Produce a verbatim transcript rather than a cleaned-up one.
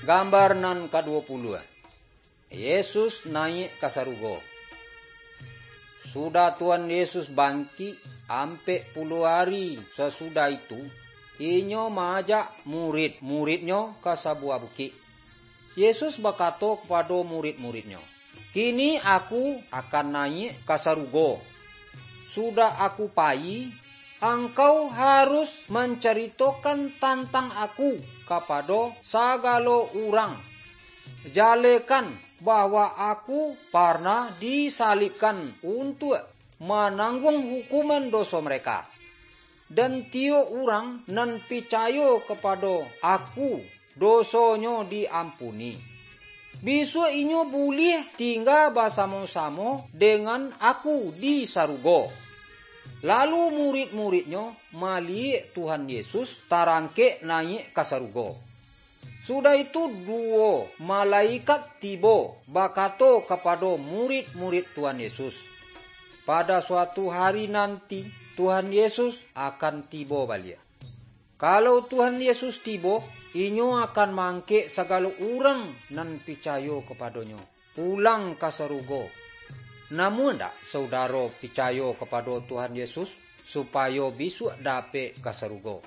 Gambar nan kaduo puluah. Yesus nayiak ka sarugo. Sudah Tuhan Yesus bangkik, ampek puluah ari sasudah itu, inyo maajak murid-murid-Nyo ka sabuah bukik. Yesus bakato kapado murid-murid-Nyo, "Kini Aku akan nayiak ka sarugo. Sudah Aku payi, angkau harus mancaritokan tantang Aku kapado sagalo urang. Jalekan bahwa Aku parnah disalibkan untuak manangguang hukuman doso mereka. Dan tiok urang nan picayo kapado Aku, dosonyo diampuni. Bisuak inyo buliah tingga basamo-samo dengan Aku di sarugo." Lalu murid-murid-Nyo maliyek Tuhan Yesus tarangkek nayiak ka sarugo. Sudah itu, duwo malaikat tibo bakato kapado murid-murid Tuhan Yesus, "Pada suatu hari nanti, Tuhan Yesus akan tibo baliak. Kalau Tuhan Yesus tibo, inyo akan maangkek sagalo urang nan picayo kapado-Nyo pulang ka sarugo. Namuah ndak saudaro picayo kapado Tuhan Yesus, supayo bisuak dapek ka sarugo?"